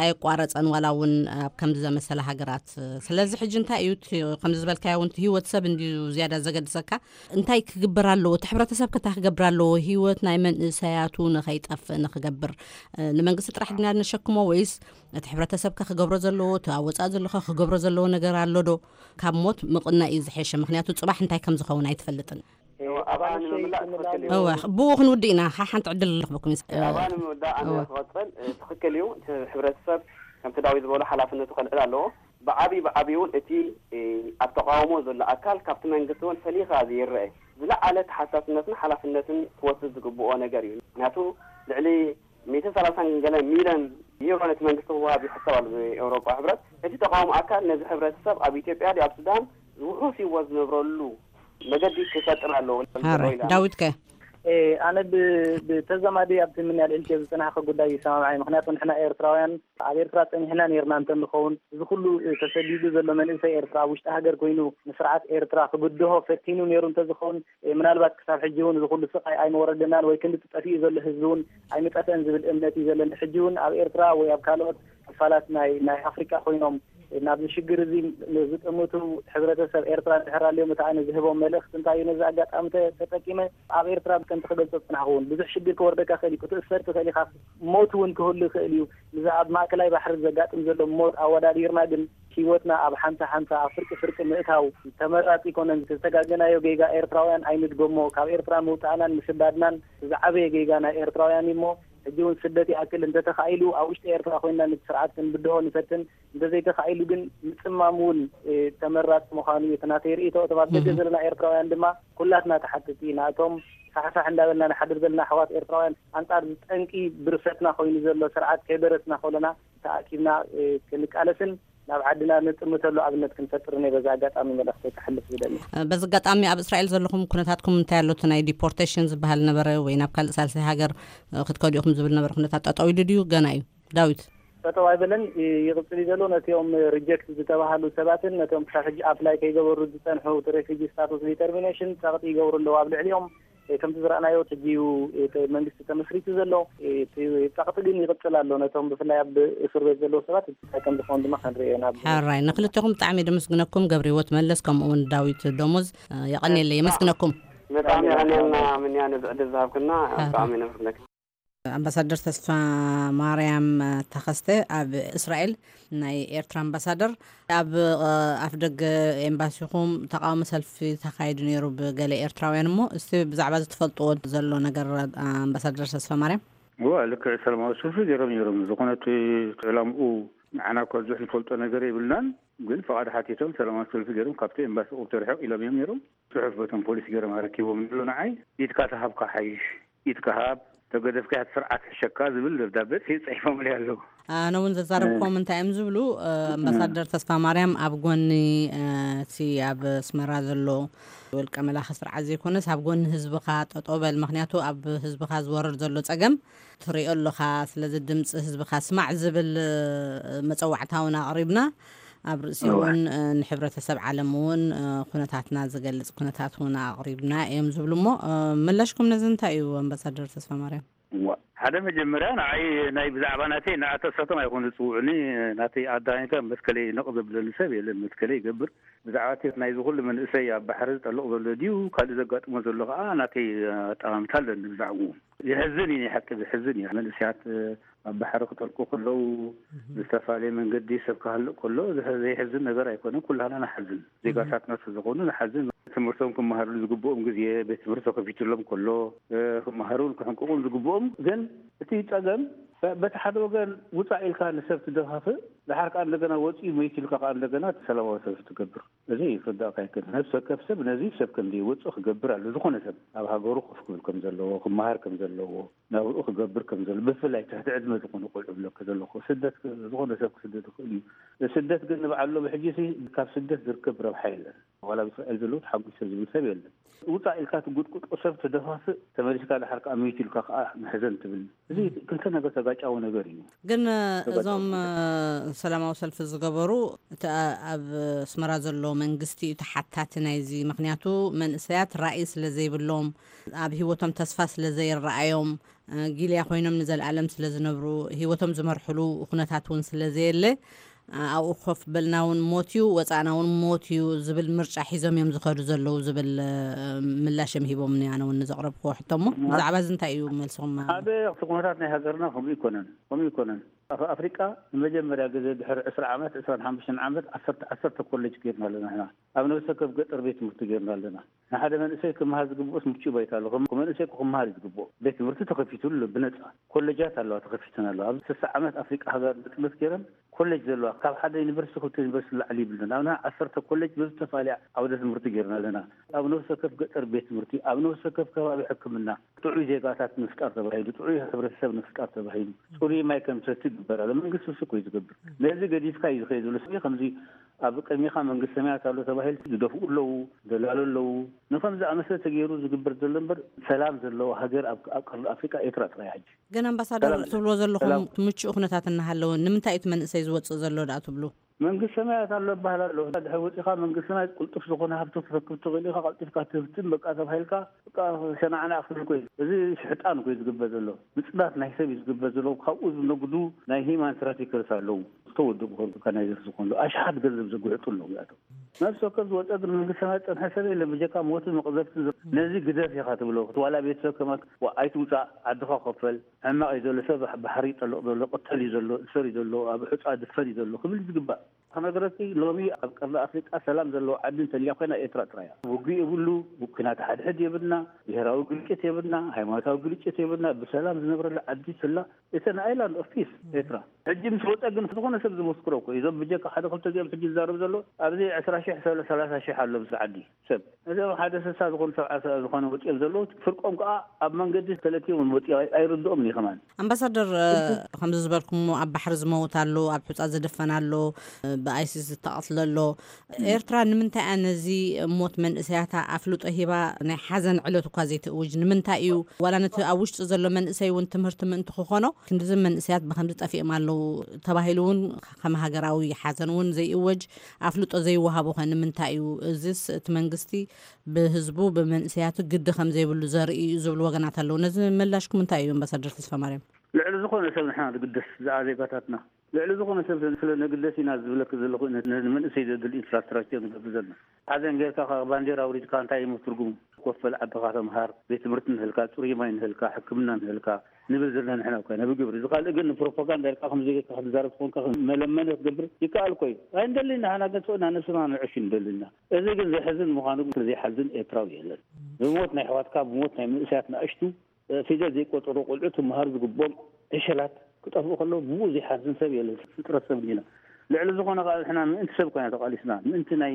ኣየቋረፀን ዋላ እውን ኣብ ከምዚ ዘመሰለ ሃገራት። ስለዚ ሕጂ እንታይ እዩ እቲ ከምዚ ዝበልካዮ እውን እቲ ህይወት ሰብ እንድዩ ዝያዳ ዘገድሰካ? እንታይ ክግበር ኣለዎ? እቲ ሕብረተሰብ ከ እንታይ ክገብር ኣለዎ? ህይወት ናይ መንእሰያቱ ንኸይጠፍእ ንክገብር እ፣ ንመንግስቲ ጥራሕ ድና ነሸክሞ ወይስ እቲ ሕብረተሰብ ከ ክገብሮ ዘለዎ እቲ ኣብ ወፃኢ ዘሎ ከ ክገብሮ ዘለዎ ነገር ኣሎ ዶ? ካብ ሞት ምቕናይ እዩ ዝሐሸ፣ ምክንያቱ ፅባሕ እንታይ ከም ዝኸውን ኣይትፈልጥን። እወ፣ ኣባ ኣባል ንምምላእ ንምምላእ ትኽክል እዩ። እወ፣ ብኡ ክንውድእ ኢና ሓሓንቲ ዕድል ንረኽበኩም እዩ። ኣባ ንምውዳእ ኣነ እወ። ክቐፅል እ፣ ትኽክል እዩ። እቲ ሕብረተሰብ ከምቲ ዳዊት ዝበሎ ሓላፍነቱ ከልዕል ኣለዎ። ብዓብይ ብዓብይ እውን እቲ እ፣ ኣብ ተቃውሞ ዘሎ ኣካል ካብቲ መንግስቲ እውን ፈሊኻ ዘይረአ ዝለዓለ ተሓሳስነትን ሓላፍነትን ክወስድ ዝግብኦ ነገር እዩ። ምክንያቱ ልዕሊ ሚእትን ሰላሳን ገለ ሚልዮን ዩሮ ነቲ መንግስቲ ክወሃብ ይሕሰብ ኣሎ ብኤውሮጳ ሕብረት። እቲ ተቃውሞ ኣካል ነዚ ሕብረተሰብ ኣብ ኢትዮጵያ ድዩ ኣብ ሱዳን ውሑስ ህይወት ዝነብረሉ መገዲ ክፈጥር ኣለዎ ክብል ሃራይ ኢለ ኣነ። ዳዊት ከ? ኣነ ብ- ብተዛማዲ ኣብቲ ምንያል ኤልኬ ዝፅናሕከ ጉዳይ ይሰማምዓይ። ምክንያቱ ንሕና ኤርትራውያን ኣብ ኤርትራ ፀኒሕና ነርና እንተንኸውን እዚ ኩሉ ተሰዲዱ ዘሎ መንእሰይ ኤርትራ ኣብ ውሽጢ ሃገር ኮይኑ ንስርዓት ኤርትራ ክብድሆ ፈቲኑ ነይሩ እንተዝኸውን ምናልባት ክሳብ ሕጂ እውን እዚ ኩሉ ስቃይ ኣይመወረደናን ወይ ክንዲ ጠፊኡ ዘሎ ህዝቢ እውን ኣይምጠፈን ዝብል እምነት እዩ ዘለኒ። ሕጂ እውን ኣብ ኤርትራ ወይ ኣብ ካልኦት ክፋላት ናይ ናይ ኣፍሪቃ ኮይኖም ናብዚ ሽግር እዚ ዝጥምቱ ሕብረተሰብ ኤርትራ እንድሕር ኣልዮም እቲ ኣነ ዝህቦም መልእኽቲ እንታይ እዩ? ነዚ ኣጋጣሚ ተ- ተጠቂመ ኣብ ኤርትራ ከምቲ ክገልጾ ዝጽናሕኩ እውን ብዙሕ ሽግር ክወርደካ ይኽእል እዩ፣ ክትእሰር ትኽእል ኢኻ፣ ሞት እውን ክህሉ ይኽእል እዩ። እዚ ኣብ ማእከላይ ባሕሪ ዘጋጥም ዘሎ ሞት ኣወዳዲርና ግን ህይወትና ኣብ ሓንሳ ሓንሳ ኣብ ፍርቂ ፍርቂ ምእታው ተመራጺ ኣይኮነን። ዝተጋገናዮ ጌጋ ኤርትራውያን ኣይንድገሞ። ካብ ኤርትራ ምውጻእናን ምስዳድናን ዝዓበየ ጌጋ ናይ ኤርትራውያን እዩ እሞ ሕጂ እውን ስደት ይኣክል እንተተኻኢሉ ኣብ ውሽጢ ኤርትራ ኮይንና ነቲ ስርዓት ክንብድሆ ንፈትን፣ እንተዘይተኻኢሉ ግን ምጽማም እውን ተመራጺ ምዃኑ እዩ እቲ ናተይ ርእይቶ። እቶም ኣብ ደገ ዘለና ኤርትራውያን ድማ ኩላትና ተሓተቲ ኢና። እቶም ፋሕፋሕ እንዳበልና ንሓድር ዘለና ኣሕዋት ኤርትራውያን ኣንጻር እዚ ጠንቂ ብርሰትና ኮይኑ ዘሎ ስርዓት ከይበረስና ከሎና ተኣኪብና ክንቃለስን ናብ ዓድና ነጥምተሉ ኣብነት ክንፈጥርን እየ በዚ ኣጋጣሚ መልእኽተይ ከሕልፍ ዝደሊ። በዚ ኣጋጣሚ ኣብ እስራኤል ዘለኹም ኩነታትኩም እንታይ ኣሎ? እቲ ናይ ዲፖርቴሽን ዝበሃል ነበረ ወይ ናብ ካልእ ሳልሳይ ሃገር ክትከዱ ኢኹም ዝብል ነበረ ኩነታት ጠጠው ኢሉ ድዩ ገና እዩ? ዳዊት። ጠጠው ኣይበለን፣ ይቕጽል እዩ ዘሎ። ነቲኦም ሪጀክት ዝተባህሉ ሰባትን ነቶም ክሳብ ሕጂ ኣፕላይ ከይገበሩ ዝጸንሑ እቲ ሬፊጂ ስታቱስ ዲተርሚኔሽን ጸቕጢ ይገብሩ ኣለዉ ኣብ ልዕሊኦም። ከምቲ ዝረኣናዮ ሕጂ እዩ እቲ መንግስቲ ተመስሪቱ ዘሎ። እቲ ጸቕጢ ግን ይቕጽል ኣሎ። ነቶም ብፍላይ ኣብ እስር ቤት ዘለዉ ሰባት እንታይ ከም ዝኾኑ ድማ ክንርኢ ኢና። ሕራይ ንክልተኹም ብጣዕሚ የደመስግነኩም። ገብረ ህይወት መለስ ከምኡ እውን ዳዊት ደሞዝ የቐንየለይ። የመስግነኩም። ብጣዕሚ የቐንየልና ምንያ ነዚ ዕድል ዝሃብክና። ብጣዕሚ ነመስግነካ። ኣምባሳደር ተስፋ ማርያም ተኸስተ ኣብ እስራኤል ናይ ኤርትራ ኣምባሳደር ኣብ ኣፍ ደገ ኤምባሲኹም ተቃውሞ ሰልፊ ተኻይዱ ነይሩ ብገለ ኤርትራውያን። እሞ እስቲ ብዛዕባ እዚ ትፈልጥዎ ዘሎ ነገር ኣምባሳደር ተስፋ ማርያም? እዋ ልክዕ ሰላማዊ ሰልፊ ገይሮም ነይሮም። ዝኾነ እቲ ዕላምኡ ንዓና እኳ ብዙሕ ዝፈልጦ ነገር የብልናን፣ ግን ፍቓድ ሓቲቶም ሰላማዊ ሰልፊ ገይሮም ካብቲ ኤምባሲ ቁብ ተርሕቕ ኢሎም እዮም ነይሮም። ጽሑፍ በቶም ፖሊስ ገይሮም ኣረኪቦም ኣሎ ንዓይ። ኢድካ ተሃብካ ሓይሽ ኢትካ ሃብ፣ ተገደፍካ እያ እቲ ስርዓት ሕሸካ ዝብል ደብዳቤ ጽሒፎምለይ ኣለዉ። ኣነ እውን ዘዛረብኮም እንታይ እዮም ዝብሉ ኣምባሳደር ተስፋ ማርያም ኣብ ጎኒ እቲ ኣብ ኣስመራ ዘሎ ውልቀ መላኺ ስርዓት ዘይኮነስ ኣብ ጎኒ ህዝብኻ ጠጠው በል፣ ምክንያቱ ኣብ ህዝብኻ ዝወርድ ዘሎ ጸገም ትሪኦ ኣለኻ፣ ስለዚ ድምፂ ህዝብኻ ስማዕ ዝብል መፀዋዕታ እውን ኣቕሪብና ኣብ ርእሲ እውን ንሕብረተሰብ ዓለም እውን ኩነታትና ዝገልፅ ኩነታት እውን ኣቕሪብና እዮም ዝብሉ እሞ ምላሽኩም ነዚ እንታይ እዩ ኣምባሳደር ተስፋ ማርያም? ሓደ መጀመርያ ንዓይ ናይ ብዛዕባ ናተይ ንኣተሳቶም ኣይኮኑ ዝጽውዑኒ። ናተይ ኣዳኒካ መትከለይ ነቕ ዘብለኒ ሰብ የለን። መትከለይ ይገብር። ብዛዕባ እቲ ናይዚ ኩሉ መንእሰይ ኣብ ባሕሪ ዝጠልቕ ዘሎ ድዩ ካልእ ዘጋጥሞ ዘሎ ከዓ ናተይ ኣጠማምታ ኣለኒ ብዛዕባኡ። የሕዝን እዩ፣ ናይ ሓቂ ዘሕዝን እዩ። መንእሰያት ኣብ ባሕሪ ክጠልቁ ከለዉ ብዝተፈላለየ መንገዲ ሰብ ክሃልእ ከሎ ዘሕ- ዘይሕዝን ነገር ኣይኮነን። ኩላና ንሓዝን፣ ዜጋታትና ስለዝኾኑ ንሓዝን። ትምህርቶም ክመሃርሉ ዝግብኦም ግዜ፣ ቤት ትምህርቲ ተኸፊትሎም ከሎ ክመሃሩን ክሕንቅቑን ዝግብኦም፣ ግን እቲ ጸገም በቲ ሓደ ወገን ውጻእ ኢልካ ንሰብ ትደፋፍእ፣ ድሓር ከኣ እንደገና ወጺኡ መይቱ ኢልካ ከኣ እንደገና እቲ ሰላማዊ ሰልፊ ትገብር። እዚ ክርዳእካ ይከኣል። ነብሲ ወከፍ ሰብ ነዚ ሰብ ከም ዘይወጽእ ክገብር ኣሎ። ዝኾነ ሰብ ኣብ ሃገሩ ኮፍ ክብል ከም ዘለዎ፣ ክመሃር ከም ዘለዎ፣ ናብኡ ክገብር ከም ዘሎ፣ ብፍላይ ትሕቲ ዕድመ ዝኾኑ ቆልዑ ብለካ ዘለኹ፣ ስደት ክ- ዝኾነ ሰብ ክስደድ ይኽእል እዩ። ስደት ግን ንበዓል ሎም ሕጂ ሲ ካብ ስደት ዝርከብ ረብሓ የለን። ዋላ ኣብ እስራኤል ዘለዉ ተሓጒሰ ዝብል ሰብ የለን። ውጻእ ኢልካ ትጉጥቁጦ ሰብ ትደፋፍእ፣ ተመሊስካ ድሓር ከኣ መይቱ ኢልካ ከኣ መሕዘን ትብል። እዚ ክልተ ነገር ተጋጫዊ ነገር እዩ። ግን እዞም ሰላማዊ ሰልፊ ዝገበሩ እቲ ኣብ ኣስመራ ዘሎ መንግስቲ እዩ ተሓታቲ ናይዚ። ምክንያቱ መንእሰያት ራእይ ስለ ዘይብሎም፣ ኣብ ህይወቶም ተስፋ ስለ ዘይረኣዮም፣ ጊልያ ኮይኖም ንዘለኣለም ስለ ዝነብሩ፣ ህይወቶም ዝመርሕሉ ኩነታት እውን ስለ ዘየለ፣ ኣብኡ ኮፍ በልና እውን ሞት እዩ፣ ወፃእና እውን ሞት እዩ ዝብል ምርጫ ሒዞም እዮም ዝኸዱ ዘለዉ ዝብል ምላሽ እዮም ሂቦምኒ። ኣነ እውን ንዘቕረብክዎ ሕቶ እሞ ብዛዕባ እዚ እንታይ እዩ መልስኹም? ሓደ እቲ ኩነታት ናይ ሃገርና ከምኡ ይኮነን፣ ከምኡ ይኮነን። ኣብ ኣፍሪቃ ንመጀመርያ ግዜ ድሕሪ ዕስራ ዓመት፣ ዕስራን ሓሙሽተን ዓመት ዓሰርተ ዓሰርተ ኮሌጅ ገይርና ኣለና ንሕና። ኣብ ነብሰ ከብ ገጠር ቤት ትምህርቲ ገይርና ኣለና። ንሓደ መንእሰይ ክመሃር ዝግብኦስ ምቹእ ባይታ ኣሎ። ከም መንእሰይ ክመሃር እዩ ዝግብኦ። ቤት ትምህርቲ ተኸፊቱ ኣሎ ብነፃ። ኮሌጃት ኣለዋ ተኸፊተን ኣለዋ። ኣብ ስሳ ዓመት ኣፍሪቃ ሃገር ጥበት ገይረን ኮሌጅ ዘለዋ፣ ካብ ሓደ ዩኒቨርሲቲ ክልተ ዩኒቨርሲቲ ላዕሊ ይብልን። ኣብና ዓሰርተ ኮሌጅ ብዝተፈላለየ ዓውደ ትምህርቲ ገይርና ኣለና። ኣብ ነፍሰ ከፍ ገጠር ቤት ትምህርቲ፣ ኣብ ነፍሰ ከፍ ከባቢ ሕክምና ጥዑይ ዜጋታት ምፍጣር ተባሂሉ፣ ጥዑይ ሕብረተሰብ ምፍጣር ተባሂሉ፣ ፅሩይ ማይ ከም ሰቲ ይግበር ኣሎ። መንግስቲ እሱ እኮ እዩ ዝገብር። ነዚ ገዲፍካ እዩ ዝኸይድ ዘሎ። ስለዚ ከምዚ ኣብ ቅድሚኻ መንግስቲ ሰማያት ኣሎ ተባሂሉ ዝደፍኡ ኣለዉ፣ ደላሉ ኣለዉ። ንከም ዝኣመሰለ ተገይሩ ዝግበር ዘሎ እምበር ሰላም ዘለዎ ሃገር ኣብ ኣብ ቀርኒ ኣፍሪቃ ኤርትራ ጥራይ ሕጂ። ግን ኣምባሳደር ሰላም። ትብልዎ ዘለኹም ሰላም። ምቹእ ኩነታት እናሃለወ ንምንታይ እቲ መንእሰይ ዝወፅእ ዘሎ ደኣ ትብሉ? መንግስቲ ሰማያት ኣሎ ይበሃል ኣሎ። ድሕሪ ወፂኻ መንግስቲ ሰማያት ቅልጡፍ ዝኾነ ሃብቲ ክትረክብ ትኽእል ኢኻ። ቀልጢፍካ ትህብትን በቃ ተባሂልካ በቃ ሸናዕና ክትብል እኮ እዩ። እዚ ሽሕጣን እኮ እዩ ዝግበር ዘሎ። ምፅናት ናይ ሰብ እዩ ዝግበር ዘሎ። ካብኡ ዝነግዱ ናይ ሂማን ትራፊከርስ ኣለዉ። ዝተወደቡ ከርዱካ ናይ ዘርዚ ኮንዶ ኣሽሓት ገንዘብ ዘጉሕጡ ኣለዉ። ያቶ ነፍሲ ወከፍ ዝወፀ ግን መንግስቲ ሰማያት ፀንሐ ሰብ የለን። ብጀካ ሞትን መቕዘፍትን ዝ- ነዚ ግደፍ ኢኻ ትብሎ። ክትዋላ ቤተሰብ ከማክ ዋ- ኣይትውፃእ፣ ዓድኻ ኮፈል፣ ሕማቕ እዩ ዘሎ፣ ሰብ ባሕሪ ይጠልቕ ዘሎ፣ ቅተል እዩ ዘሎ፣ እሰር እዩ ዘሎ፣ ኣብ ሑፃ ድፈን እዩ ዘሎ ክብል ዝግባእ። ክነግረኪ ሎሚ ኣብ ቀርኒ ኣፍሪቃ ሰላም ዘለዎ ዓዲ እንተልያ ኮይና ኤርትራ ጥራይ እያ። ውግእ የብሉ፣ ኩናት ሓድሕድ የብልና፣ ብሄራዊ ግልጭት የብልና፣ ሃይማኖታዊ ግልጭት የብልና፣ ብሰላም ዝነብረሉ ዓዲ ስላ። It's an island of peace ኤርትራ። ሕጂ ምስ ወፀ ግን ዝኾነ ሰብ ዝመስክሮ እኮ እዩ። እዞም ብጀካ ሓደ ክልተ እዚኦም ሕጂ ዝዛረብ ዘሎ ኣብዚ ዕስራ ሺሕ ሰለ ሰላሳ ሺሕ ኣሎ ኣብዚ ዓዲ ሰብ። እዚኦም ሓደ ስሳ ዝኾኑ ሰብዓ ሰ- ዝኾነ ወፂኦም ዘለዉ ፍርቆም ከዓ ኣብ መንገዲ ተለኪቦም ወፂኦም ኣይ- ኣይርድኦም እዩ ከማን። ኣምባሳደር እ፣ ከምዚ ዝበልኩሞ ኣብ ባሕሪ ዝመውት ኣሎ፣ ኣብ ሑፃ ዝድፈን ኣሎ፣ እ፣ ብኣይሲስ ዝተቐትለ ኣሎ። ኤርትራ ንምንታይ እያ ነዚ ሞት መንእሰያታ ኣፍልጦ ሂባ ናይ ሓዘን ዕለት እኳ ዘይትእውጅ? ንምንታይ እዩ ዋላ ነቲ ኣብ ውሽጢ ዘሎ መንእሰይ እውን ትምህርቲ ምእንቲ ክኾኖ ክንድዚ መንእሰያት ብከምዚ ጠፊኦም ኣለዉ ተባሂሉ እውን ከም ሃገራዊ ሓዘን እውን ዘይእወጅ ኣፍልጦ ዘይወሃቦ ከ ንምንታይ እዩ? እዚስ እቲ መንግስቲ ብህዝቡ ብመንእሰያቱ ግዲ ከም ዘይብሉ ዘርኢ እዩ ዝብሉ ወገናት ኣለዉ። ነዚ ምላሽኩም እንታይ እዩ ኣምባሳደር ተስፋ ማርያም? ልዕሊ ዝኾነ ሰብ ንሕና ንግደስ ዝኣ ዜጋታትና ልዕሊ ዝኾነ ሰብ ስለ ነግደስ ኢና ዝብለክ ዘለኹ። ነዚ መንእሰይ ዘድሊ ኢንፍራስትራክቸር ንገብር ዘለና ሓዘን ጌርካ ካብ ባንዴራ ኣውሪድካ እንታይ እዩ ትርጉሙ? ኮፈል ዓድኻ ተምሃር፣ ቤት ትምህርቲ ንህልካ፣ ፅሩይ ማይ ንህልካ፣ ሕክምና ንህልካ ንብል ዘለና ንሕና እኮ ኢና ብግብሪ። እዚ ካልእ ግን ንፕሮፓጋንዳ ኢልካ ከምዚ ጌርካ ክትዛረብ ትኾንካ መለመኒ ክትገብር ይከኣል እኮ እዩ። ኣይንደልን ኢና፣ ሓና ገንፅእና ነብስና ንዕሽ ንደልና። እዚ ግን ዘሕዝን ምዃኑ ግን ዘይሓዝን ኤርትራዊ የለን። ብሞት ናይ ኣሕዋትካ፣ ብሞት ናይ መንእሰያት ንኣሽቱ ፊደል ዘይቆፀሩ ቆልዑ ክመሃሩ ዝግብኦም ዕሸላት ክጠፍኡ ከለዉ ብኡ ዘይሓዝን ሰብ የለን። ፍጥረት ሰብ እንዲና። ልዕሊ ዝኾነ ከዓ ንሕና ምእንቲ ሰብ ኮይና ተቃሊስና፣ ምእንቲ ናይ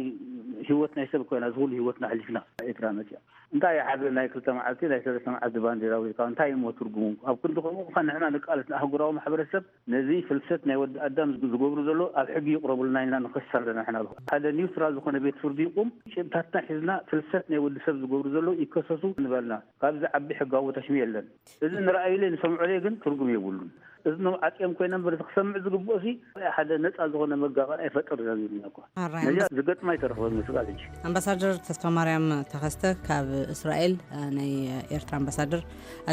ህይወት ናይ ሰብ ኮይና ዝኹሉ ህይወትና ኣሕሊፍና ኤርትራ መፅያ። እንታይ ሓደ ናይ ክልተ መዓልቲ ናይ ሰለስተ መዓልቲ ባንዴራ ወይ ከዓ እንታይ እሞ ትርጉሙ? ኣብ ክንዲ ከምኡ ከዓ ንሕና ንቃለስ ንኣህጉራዊ ማሕበረሰብ ነዚ ፍልሰት ናይ ወዲ ኣዳም ዝገብሩ ዘሎ ኣብ ሕጊ ይቕረቡልና ኢልና ንኸስ ኣለና። ንሕና ሓደ ኒውትራል ዝኾነ ቤት ፍርዲ ይቁም፣ ጭብታትና ሒዝና ፍልሰት ናይ ወዲ ሰብ ዝገብሩ ዘለዉ ይከሰሱ ንበልና። ካብዚ ዓቢ ሕጋዊ ተሽሚ የለን። እዚ ንረኣዩለይ ንሰምዑለይ ግን ትርጉም የብሉን። እዝኖም ዓጽዮም ኮይኖም፣ በቲ ክሰምዕ ዝግብኦ ሲ ሓደ ነጻ ዝኾነ መጋባእ ኣይፈጥር ዘሚልና እኳ። ኣራይ፣ ነዚኣ ኣምባስ- ዝገጥማ ኣይተረኽበን ምስጋል እንጂ። ኣምባሳደር ተስፋ ማርያም ተኸስተ ካብ እስራኤል፣ እ፣ ናይ ኤርትራ ኣምባሳደር፣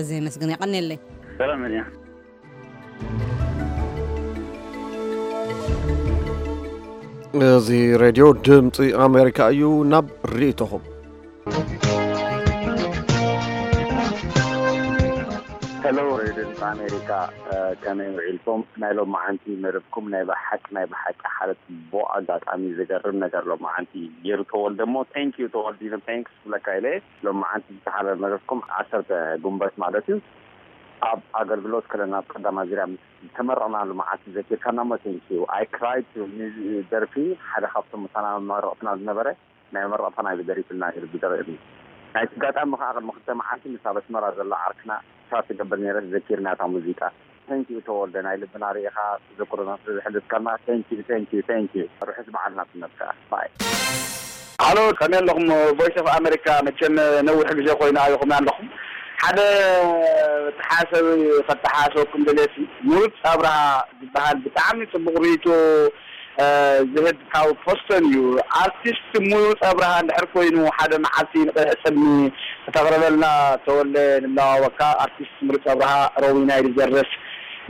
ኣዝየ የመስግን። የቐንየለይ። ሰላም እያ። እዚ ሬድዮ ድምፂ ኣሜሪካ እዩ። ናብ ርእይቶኹም። ሄሎ፣ ሬድዮ ድምፂ ኣሜሪካ፣ እ፣ ከመይ ውዒልኩም? ናይ ሎማዓንቲ መደብኩም ናይ ብሓቂ፣ ናይ ብሓቂ ሓደ ፅቡቕ ኣጋጣሚ፣ ዝገርም ነገር ሎማዓንቲ ገይሩ ተወልደ እሞ፣ ቴንክ ዩ ተወልዲነ፣ ቴንክስ ክብለካ ኢለ። ሎማዓንቲ ዝተሓለለ መደብኩም ዓሰርተ ጉንበት ማለት እዩ፣ ኣብ ኣገልግሎት ከለና ኣብ ቀዳማት ዙርያ ምስ ዝተመረቕናሉ መዓልቲ ዘኪርካና እሞ፣ ቴንክ ዩ። ኣይ ክራይድ፣ ደርፊ ሓደ ካብቶም ምሳና መመረቕትና ዝነበረ ናይ መረቕታ ናይ ደሪፍልና ነይሩ ብደረኒ። ናይቲ ኣጋጣሚ ከዓ ቅድሚ ክልተ መዓልቲ ምስ ኣብ ኣስመራ ዘሎ ዓርክና ቻት ትገብር ነይረ፣ ዘኪርና እታ ሙዚቃ። ቴንክ ዩ ተወልደ፣ ናይ ልብና ርኢኻ ተዘክሮና ስለ ዘሕለፍካና፣ ቴንክ ዩ፣ ቴንክ ዩ፣ ቴንክ ዩ። ርሑስ በዓል ናጽነት ከዓ። ባይ። ሃሎ፣ ከመይ ኣለኹም? ቮይስ ኦፍ ኣሜሪካ፣ መቸም ነዊሕ ግዜ ኮይኑ ኣየኹም ኣለኹም። ሓደ ተሓሰብ ከተሓሰብኩም ደልየሲ፣ ምሩፅ ኣብርሃ ዝበሃል ብጣዕሚ ጽቡቕ ርእይቶ፣ እ፣ ዝህብ ካብ ፖስተን እዩ። ኣርቲስት ምሩፅ ኣብርሃ እንድሕር ኮይኑ ሓደ መዓልቲ ንቕድሒ ጽልሚ ከተቕርበልና ተወልደ ንለዋወካ። ኣርቲስት ምሩፅ ኣብርሃ ሮዊና እዩ ዝደርፍ።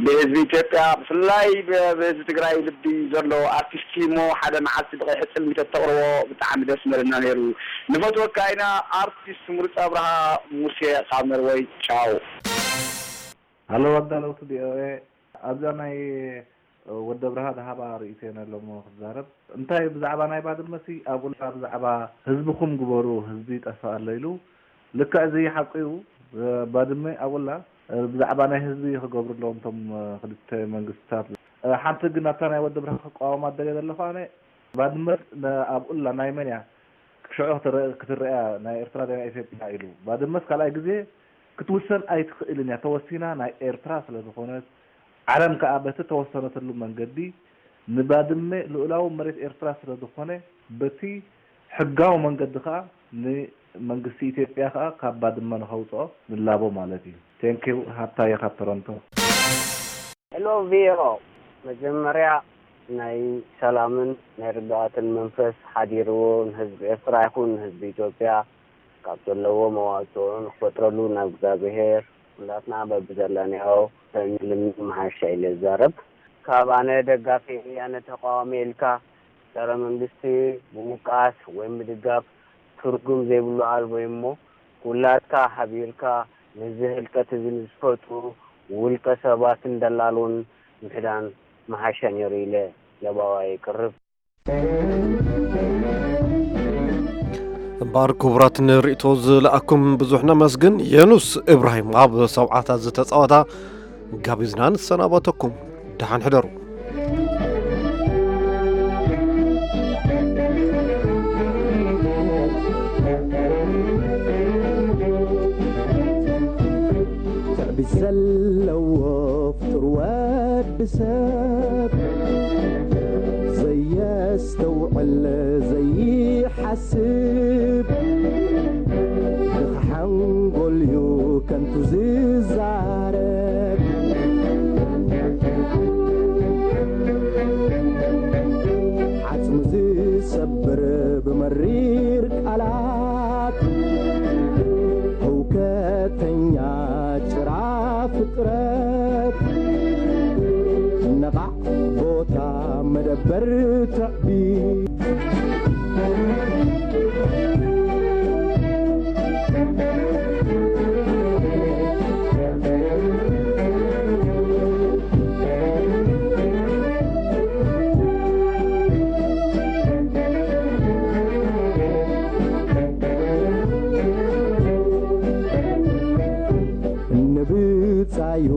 ብህዝቢ ኢትዮጵያ ብፍላይ ብ-፣ ብህዝቢ ትግራይ ልቢ ዘሎ ኣርቲስት እዩ እሞ ሓደ መዓልቲ ብቐይሕ ጽልሚ ተተቕርቦ ብጣዕሚ ደስ ምበለና ነይሩ። ንፈትወካ ኢና ኣርቲስት ምሩፅ ኣብርሃ። ሙሴ ካብ ኖርወይ። ቻው። ሃሎ ኣዳለውቲ ቪኦኤ፣ ኣብዛ ናይ ወዲ ኣብርሃ ዝሃባ ርእይቶ እየ ነሎሞ ክዛረብ። እንታይ ብዛዕባ ናይ ባድመ ሲ ኣብኡላ ብዛዕባ ህዝብኹም ግበሩ ህዝቢ ይጠፍእ ኣሎ ኢሉ። ልክዕ እዚ ሓቁ እዩ። ባድመ ኣብኡላ ብዛዕባ ናይ ህዝቢ ክገብሩ ኣለዎም እቶም ክልተ መንግስትታት። ሓንቲ ግን ኣብታ ናይ ወዲ ኣብርሃ ክቃወማ ደልየ ዘለኹ ኣነ ባድመ ኣብኡላ ናይ መን እያ? ሽዑ ክትረአ ናይ ኤርትራ ናይ ኢትዮጵያ ኢሉ። ባድመስ ካልኣይ ግዜ ክትውሰን ኣይትኽእልን እያ። ተወሲና ናይ ኤርትራ ስለ ዝኾነት ዓለም ከኣ በቲ ተወሰነትሉ መንገዲ ንባድመ ልኡላዊ መሬት ኤርትራ ስለ ዝኾነ በቲ ሕጋዊ መንገዲ ከኣ ንመንግስቲ ኢትዮጵያ ከኣ ካብ ባድመ ንኸውፅኦ ንላቦ ማለት እዩ። ቴንኪው። ሃብታየ ካብ ቶሮንቶ። ሄሎ ቪኦ፣ መጀመርያ ናይ ሰላምን ናይ ርግኣትን መንፈስ ሓዲርዎ ንህዝቢ ኤርትራ ይኹን ንህዝቢ ኢትዮጵያ ካብ ዘለዎ መዋፅኦ ንክፈጥረሉ ናብ እግዚኣብሄር ኩላትና በብዘለናዮ ንልምን መሓሻ ኢለ ዝዛረብ። ካብ ኣነ ደጋፊ ኣነ ተቃዋሚ ኢልካ ጸረ መንግስቲ ምውቃስ ወይ ምድጋፍ ትርጉም ዘይብሉ ኣልቦ እዩ እሞ ኩላትካ ሓቢርካ ነዚ ህልቀት እዚ ንዝፈጥሩ ውልቀ ሰባትን ደላሎን ምሕዳን ምሓሸ ነይሩ ኢለ ለባዋ የቅርብ። እምበኣር ክቡራት ንርእይቶ ዝለኣኩም ብዙሕ ነመስግን። የኑስ እብራሂም ኣብ ሰብዓታት ዝተጻወታ ጋቢዝና ንሰናበተኩም። ደሓን ሕደሩ። ትዕቢት ዘለዎ ፍጡር ወዲ ሰብ ዘየስተውዕል ዘይሓስብ ድኻ ሓንጎል እዩ ከንቱ ዝዛረብ ዓጽሙ ዝሰብር ብመሪር ቃላት ህውከተኛ ጭራ ፍጥረት ነቓዕ ቦታ መደበር ትዕቢት ንብጻዩ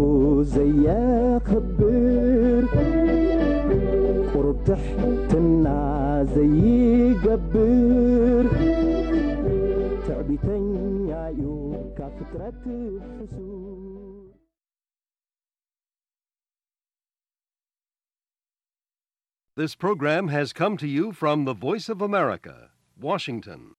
ዘየኽብር ቁሩብ ትሕትና ዘይገብር ትዕቢተኛ እዩ ካብ ፍጥረት ሕሱር። This program has come to you from the Voice of America, Washington.